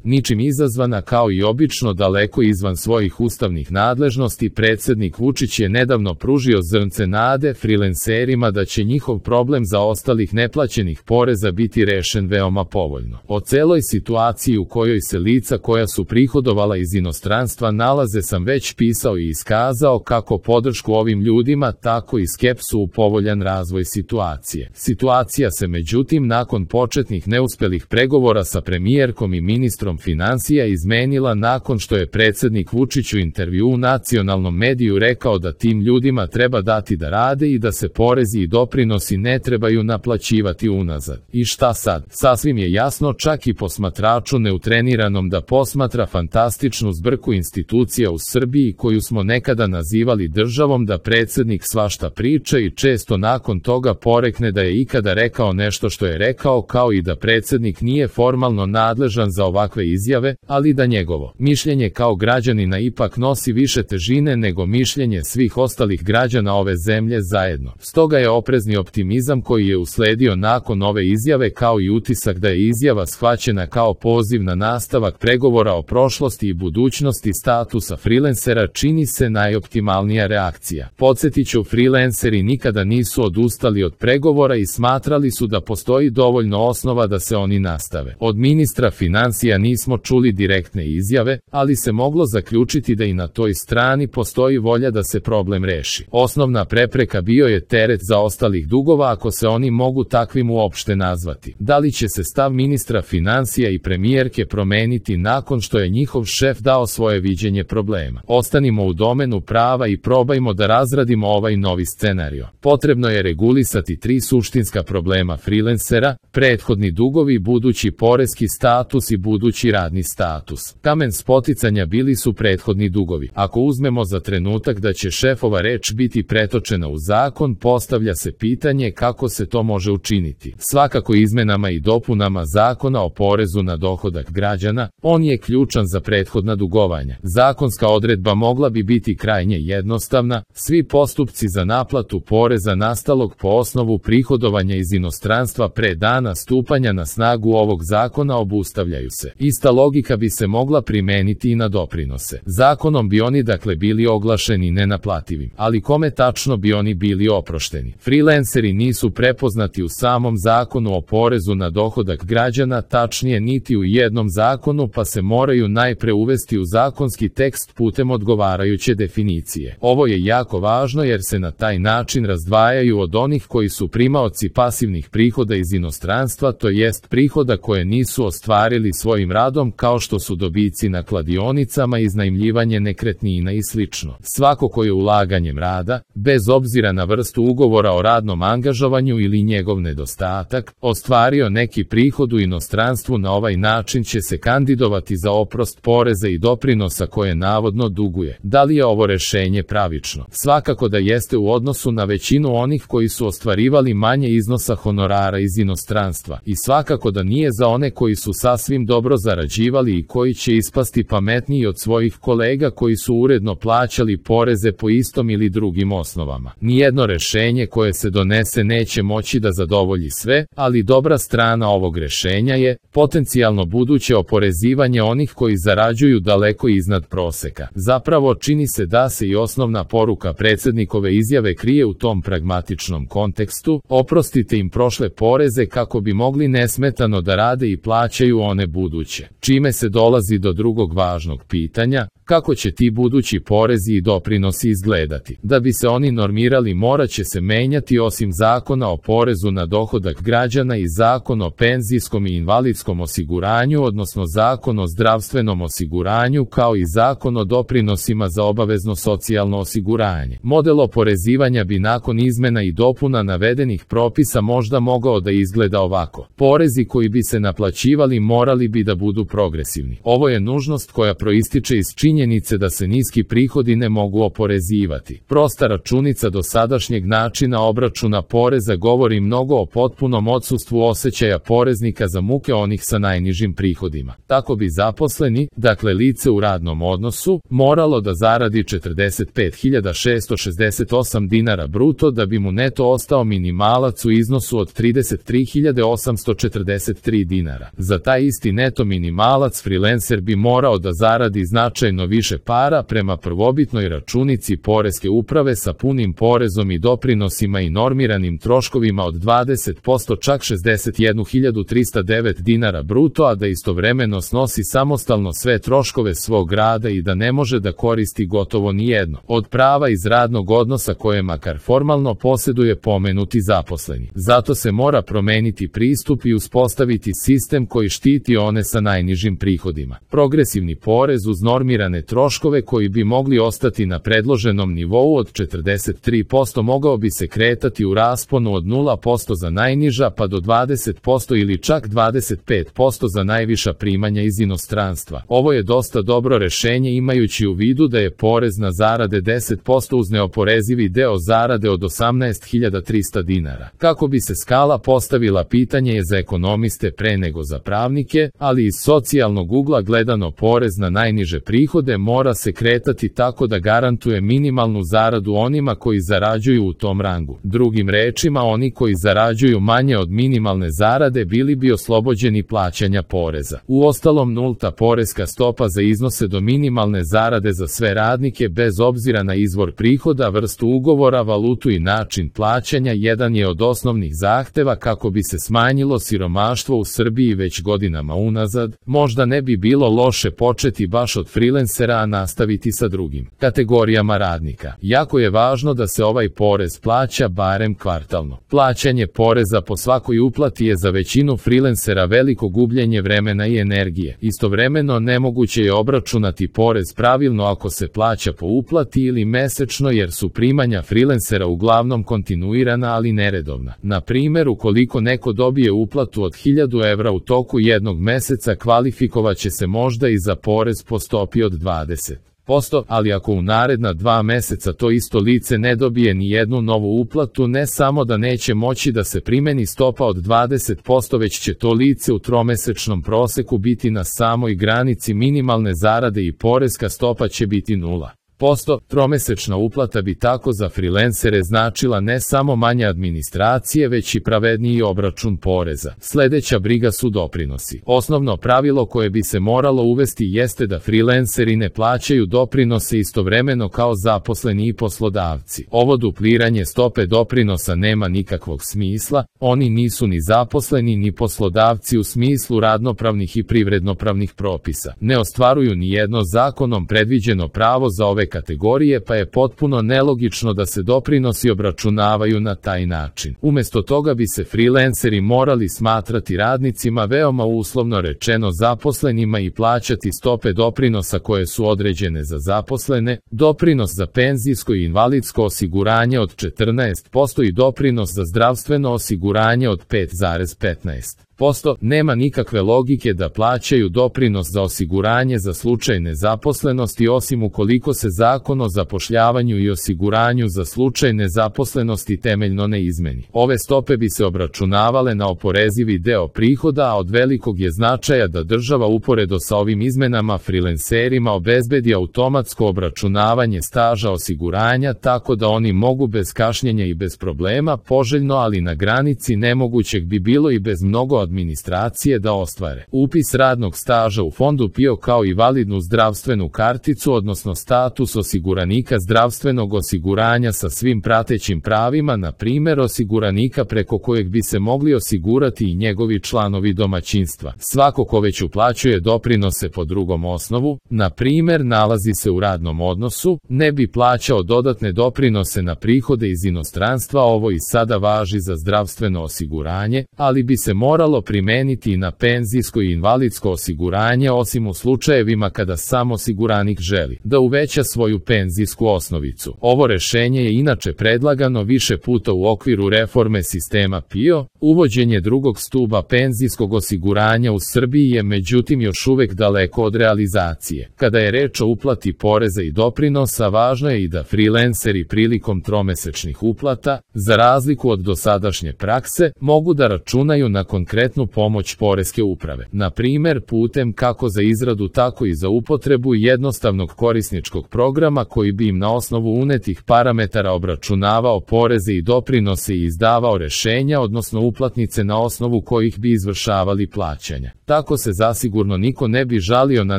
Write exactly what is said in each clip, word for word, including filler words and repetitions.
Ničim izazvana kao i obično daleko izvan svojih ustavnih nadležnosti, predsjednik Vučić je nedavno pružio zrnce nade frilenserima da će njihov problem zaostalih neplaćenih poreza biti rešen veoma povoljno. O celoj situaciji u kojoj se lica koja su prihodovala iz inostranstva nalaze sam već pisao i iskazao kako podršku ovim ljudima, tako i skepsu u povoljan razvoj situacije. Situacija se međutim nakon početnih neuspelih pregovora sa premijerkom i ministrom financija izmenila nakon što je predsjednik Vučić u intervju u nacionalnom mediju rekao da tim ljudima treba dati da rade i da se porezi i doprinosi ne trebaju naplaćivati unazad. I šta sad? Sasvim je jasno čak i posmatraču neutreniranom da posmatra fantastičnu zbrku institucija u Srbiji koju smo nekada nazivali državom da predsjednik svašta priča i često nakon toga porekne da je ikada rekao nešto što je rekao, kao i da predsjednik nije formalno nadležan za ovakve izjave, ali da njegovo mišljenje kao građanina ipak nosi više težine nego mišljenje svih ostalih građana ove zemlje zajedno. Stoga je oprezni optimizam koji je usledio nakon ove izjave kao i utisak da je izjava shvaćena kao poziv na nastavak pregovora o prošlosti i budućnosti statusa freelancera čini se najoptimalnija reakcija. Podsjetiću, freelanceri nikada nisu odustali od pregovora i smatrali su da postoji dovoljno osnova da se oni nastave. Od ministra financija nismo čuli direktne izjave, ali se moglo zaključiti da i na toj strani postoji volja da se problem reši. Osnovna prepreka bio je teret zaostalih dugova, ako se oni mogu takvim uopšte nazvati. Da li će se stav ministra financija i premijerke promeniti nakon što je njihov šef dao svoje viđenje problema? Ostanimo u domenu prava i probajmo da razradimo ovaj novi scenario. Potrebno je regulisati tri suštinska problema freelancera: prethodni dugovi, budući poreski status i budući radni status. Kamen spoticanja bili su prethodni dugovi. Ako uzmemo za trenutak da će šefova reč biti pretočena u zakon, postavlja se pitanje kako se to može učiniti. Svakako izmenama i dopunama Zakona o porezu na dohodak građana, on je ključan za prethodna dugovanja. Zakonska odredba mogla bi biti krajnje jednostavna: svi postupci za naplatu poreza nastalog po osnovu prihodovanja iz inostranstva pre dana stupanja na snagu ovog zakona obustavljaju se. Ista logika bi se mogla primeniti i na doprinose. Zakonom bi oni dakle bili oglašeni nenaplativim, ali kome tačno bi oni bili oprošteni? Freelanceri nisu prepoznati u samom zakonu o porezu na dohodak građana, tačnije niti u jednom zakonu, pa se moraju najpre uvesti u zakonski tekst putem odgovarajuće definicije. Ovo je jako važno jer se na taj način razdvajaju od onih koji su primaoci pasivnih prihoda iz inostranstva, to jest prihoda koje nisu ostvarili svojim radom, kao što su dobici na kladionicama, iznajmljivanje nekretnina i slično. Svako ko je ulaganjem rada, bez obzira na vrstu ugovora o radnom angažovanju ili njegov nedostatak, ostvario neki prihod u inostranstvu, na ovaj način će se kandidovati za oprost poreza i doprinosa koje navodno duguje. Da li je ovo rešenje pravično? Svakako da jeste u odnosu na većinu onih koji su ostvarivali manje iznosa honorara iz inostranstva, i svakako da nije za one koji su sasvim dobro zarađivali i koji će ispasti pametniji od svojih kolega koji su uredno plaćali poreze po istom ili drugim osnovama. Nijedno rešenje koje se donese neće moći da zadovolji sve, ali dobra strana ovog rešenja je potencijalno buduće oporezivanje onih koji zarađuju daleko iznad proseka. Zapravo čini se da se i osnovna poruka predsjednikove izjave krije u tom pragmatičnom kontekstu: oprostite im prošle poreze kako bi mogli nesmetano da rade i plaćaju one buduće. Čime se dolazi do drugog važnog pitanja: kako će ti budući porezi i doprinosi izgledati? Da bi se oni normirali, morat će se menjati osim Zakona o porezu na dohodak građana i Zakon o penzijskom i invalidskom osiguranju, odnosno Zakon o zdravstvenom osiguranju, kao i Zakon o doprinosima za obavezno socijalno osiguranje. Model oporezivanja bi nakon izmena i dopuna navedenih propisa možda mogao da izgleda ovako: porezi koji bi se naplaćivali morali bi da budu progresivni. Ovo je nužnost koja proističe iz činjenica činjenice da se niski prihodi ne mogu oporezivati. Prosta računica dosadašnjeg načina obračuna poreza govori mnogo o potpunom odsustvu osjećaja poreznika za muke onih sa najnižim prihodima. Tako bi zaposleni, dakle lice u radnom odnosu, moralo da zaradi četrdeset pet hiljada šessto šezdeset osam dinara bruto da bi mu neto ostao minimalac u iznosu od trideset tri hiljade osamsto četrdeset tri dinara. Za taj isti neto minimalac freelancer bi morao da zaradi značajno više para prema prvobitnoj računici poreske uprave sa punim porezom i doprinosima i normiranim troškovima od dvadeset posto, čak šezdeset jednu hiljadu trista devet dinara bruto, a da istovremeno snosi samostalno sve troškove svog rada i da ne može da koristi gotovo ni jedno od prava iz radnog odnosa koje makar formalno posjeduje pomenuti zaposleni. Zato se mora promeniti pristup i uspostaviti sistem koji štiti one sa najnižim prihodima. Progresivni porez uz normirane troškove koji bi mogli ostati na predloženom nivou od četrdeset tri posto mogao bi se kretati u rasponu od nula posto za najniža pa do dvadeset posto ili čak dvadeset pet posto za najviša primanja iz inostranstva. Ovo je dosta dobro rešenje imajući u vidu da je porez na zarade deset posto uz neoporezivi deo zarade od osamnaest hiljada trista dinara. Kako bi se skala postavila, pitanje je za ekonomiste pre nego za pravnike, ali iz socijalnog ugla gledano porez na najniže prihode mora se kretati tako da garantuje minimalnu zaradu onima koji zarađuju u tom rangu. Drugim rečima, oni koji zarađuju manje od minimalne zarade bili bi oslobođeni plaćanja poreza. Uostalom, nulta poreska stopa za iznose do minimalne zarade za sve radnike bez obzira na izvor prihoda, vrstu ugovora, valutu i način plaćanja jedan je od osnovnih zahteva kako bi se smanjilo siromaštvo u Srbiji već godinama unazad. Možda ne bi bilo loše početi baš od freelancera, a nastaviti sa drugim kategorijama radnika. Jako je važno da se ovaj porez plaća barem kvartalno. Plaćanje poreza po svakoj uplati je za većinu freelancera veliko gubljenje vremena i energije. Istovremeno, nemoguće je obračunati porez pravilno ako se plaća po uplati ili mesečno, jer su primanja freelancera uglavnom kontinuirana ali neredovna. Na primjer, ukoliko neko dobije uplatu od hiljadu evra u toku jednog meseca, kvalifikovaće se možda i za porez po stopi od dvadeset posto, ali ako u naredna dva meseca to isto lice ne dobije ni jednu novu uplatu, ne samo da neće moći da se primeni stopa od dvadeset posto, već će to lice u tromesečnom proseku biti na samoj granici minimalne zarade i poreska stopa će biti nula posto. Tromesečna uplata bi tako za freelancere značila ne samo manje administracije, već i pravedniji obračun poreza. Sledeća briga su doprinosi. Osnovno pravilo koje bi se moralo uvesti jeste da freelanceri ne plaćaju doprinose istovremeno kao zaposleni i poslodavci. Ovo dupliranje stope doprinosa nema nikakvog smisla, oni nisu ni zaposleni ni poslodavci u smislu radnopravnih i privrednopravnih propisa. Ne ostvaruju ni jedno zakonom predviđeno pravo za ove kategorije, pa je potpuno nelogično da se doprinosi obračunavaju na taj način. Umesto toga bi se freelanceri morali smatrati radnicima, veoma uslovno rečeno zaposlenima, i plaćati stope doprinosa koje su određene za zaposlene, doprinos za penzijsko i invalidsko osiguranje od četrnaest posto i doprinos za zdravstveno osiguranje od pet zarez petnaest posto. Nema nikakve logike da plaćaju doprinos za osiguranje za slučaj nezaposlenosti, osim ukoliko se Zakon o zapošljavanju i osiguranju za slučaj nezaposlenosti temeljno ne izmeni. Ove stope bi se obračunavale na oporezivi deo prihoda, a od velikog je značaja da država uporedo sa ovim izmenama freelancerima obezbedi automatsko obračunavanje staža osiguranja, tako da oni mogu bez kašnjenja i bez problema, poželjno ali na granici nemogućeg bi bilo i bez mnogo administracije, da ostvare upis radnog staža u fondu P I O kao i validnu zdravstvenu karticu, odnosno status osiguranika zdravstvenog osiguranja sa svim pratećim pravima, na primjer osiguranika preko kojeg bi se mogli osigurati i njegovi članovi domaćinstva. Svako ko već uplaćuje doprinose po drugom osnovu, na primjer nalazi se u radnom odnosu, ne bi plaćao dodatne doprinose na prihode iz inostranstva. Ovo i sada važi za zdravstveno osiguranje, ali bi se moralo trebalo primeniti i na penzijsko i invalidsko osiguranje, osim u slučajevima kada sam osiguranik želi da uveća svoju penzijsku osnovicu. Ovo rešenje je inače predlagano više puta u okviru reforme sistema P I O. Uvođenje drugog stuba penzijskog osiguranja u Srbiji je međutim još uvek daleko od realizacije. Kada je reč o uplati poreza i doprinosa, važno je i da freelanceri prilikom tromesečnih uplata, za razliku od dosadašnje prakse, mogu da računaju na konkretnu pomoć poreske uprave. Na primer, putem kako za izradu tako i za upotrebu jednostavnog korisničkog programa koji bi im na osnovu unetih parametara obračunavao poreze i doprinose i izdavao rešenja, odnosno uplatnice na osnovu kojih bi izvršavali plaćanja. Tako se zasigurno niko ne bi žalio na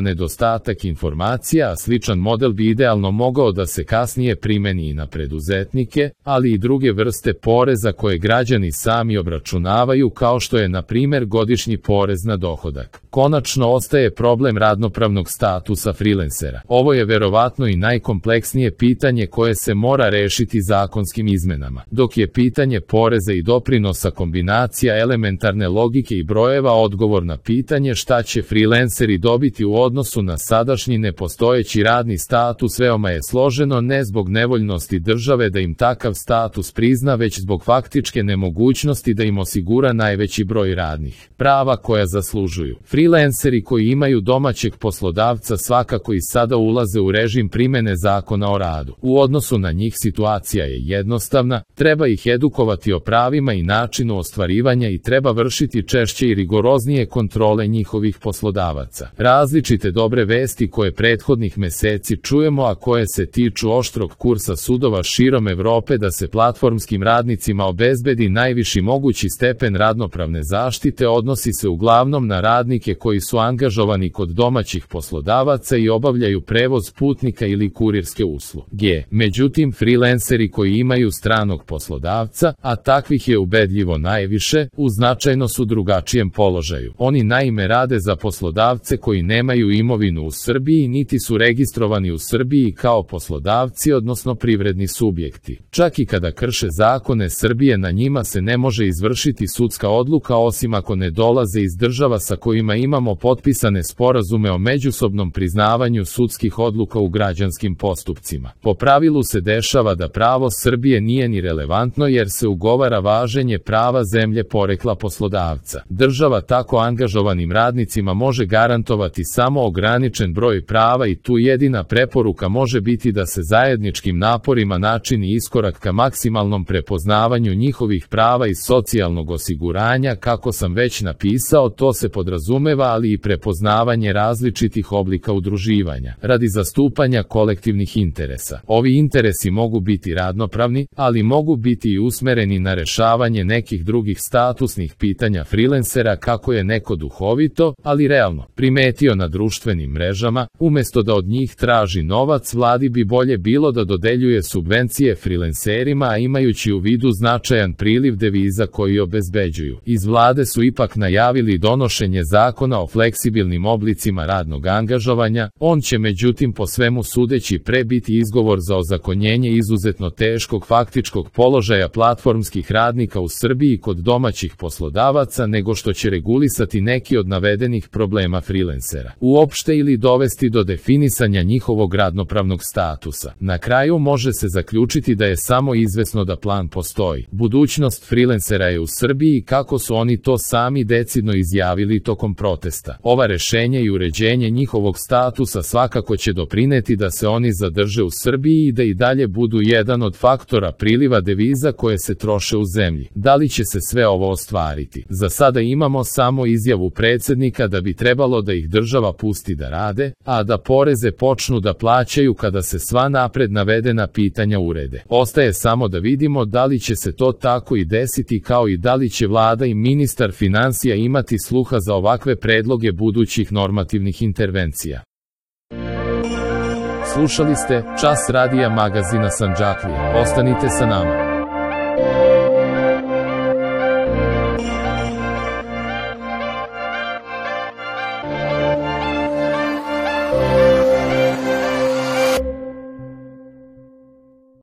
nedostatak informacija, a sličan model bi idealno mogao da se kasnije primeni i na preduzetnike, ali i druge vrste poreza koje građani sami obračunavaju, kao što je na primer godišnji porez na dohodak. Konačno ostaje problem radnopravnog statusa freelancera. Ovo je verovatno i najkompleksnije pitanje koje se mora rešiti zakonskim izmenama. Dok je pitanje poreza i doprinosa kombinacija elementarne logike i brojeva, odgovor na pitanje šta će freelanceri dobiti u odnosu na sadašnji nepostojeći radni status veoma je složeno, ne zbog nevoljnosti države da im takav status prizna, već zbog faktičke nemogućnosti da im osigura najveći broj radnih prava koja zaslužuju. Freelanceri koji imaju domaćeg poslodavca svakako i sada ulaze u režim primene zakona o radu. U odnosu na njih situacija je jednostavna, treba ih edukovati o pravima i načinu ostvarivanja i treba vršiti češće i rigoroznije kontrole njihovih poslodavaca. Različite dobre vesti koje prethodnih meseci čujemo, a koje se tiču oštrog kursa sudova širom Evrope da se platformskim radnicima obezbedi najviši mogući stepen radnopravne zaštite, odnosi se uglavnom na radnike koji su angažovani kod domaćih poslodavaca i obavljaju prevoz putnika ili kurirske usluge. Međutim, freelanceri koji imaju stranog poslodavca, a takvih je ubedljivo najviše, u značajno su drugačijem položaju. Oni naime rade za poslodavce koji nemaju imovinu u Srbiji niti su registrovani u Srbiji kao poslodavci, odnosno privredni subjekti. Čak i kada krše zakone Srbije, na njima se ne može izvršiti sudska odluka osim ako ne dolaze iz država sa kojima imamo potpisane sporazume o međusobnom priznavanju sudskih odluka u građanskim postupcima. Po pravilu se dešava da pravo Srbije nije ni relevantno jer se ugovara važenje prava zemlje porekla poslodavca. Država tako angažovanim radnicima može garantovati samo ograničen broj prava i tu jedina preporuka može biti da se zajedničkim naporima načini iskorak ka maksimalnom prepoznavanju njihovih prava iz socijalnog osiguranja. Kako sam već napisao, to se podrazumeva ali i prepoznavanje različitih oblika udruživanja radi zastupanja kolektivnih interesa. Ovi interesi mogu biti radnopravni, ali mogu biti i usmereni na rešavanje nekih drugih statusnih pitanja freelancera, kako je neko duhovito, ali realno primetio na društvenim mrežama. Umesto da od njih traži novac, vladi bi bolje bilo da dodeljuje subvencije freelancerima, a imajući u vidu značajan priliv deviza koji obezbeđuju. Iz vlade su ipak najavili donošenje zakona o fleksibilnim oblicima radnog angažovanja. On će međutim po svemu sudeći pre biti izgovor za ozakonjenje izuzetno teškog faktičkog položaja platformskih radnika u Srbiji kod domaćih poslodavaca, nego što će regulisati neki od navedenih problema freelancera uopšte ili dovesti do definisanja njihovog radnopravnog statusa. Na kraju može se zaključiti da je samo izvesno da plan postoji. Budućnost freelancera je u Srbiji, kako su oni to sami decidno izjavili tokom protesta. Ova rešenja i uređenje njihovog statusa svakako će doprineti da se oni zadrže u Srbiji i da i dalje budu jedan od faktora priliva deviza koje se troše u zemlji. Da li će se sve ovo ostvariti? Za sada imamo samo izjavu predsednika da bi trebalo da ih država pusti da rade, a da poreze počnu da plaćaju kada se sva napred navedena pitanja urede. Ostaje samo da vidimo da li će se to tako i desiti, kao i da li će vlada i ministar finansija imati sluha za ovakve predloge budućih normativnih intervencija. Slušali ste Čas radija magazina Sandžaklija. Ostanite sa nama.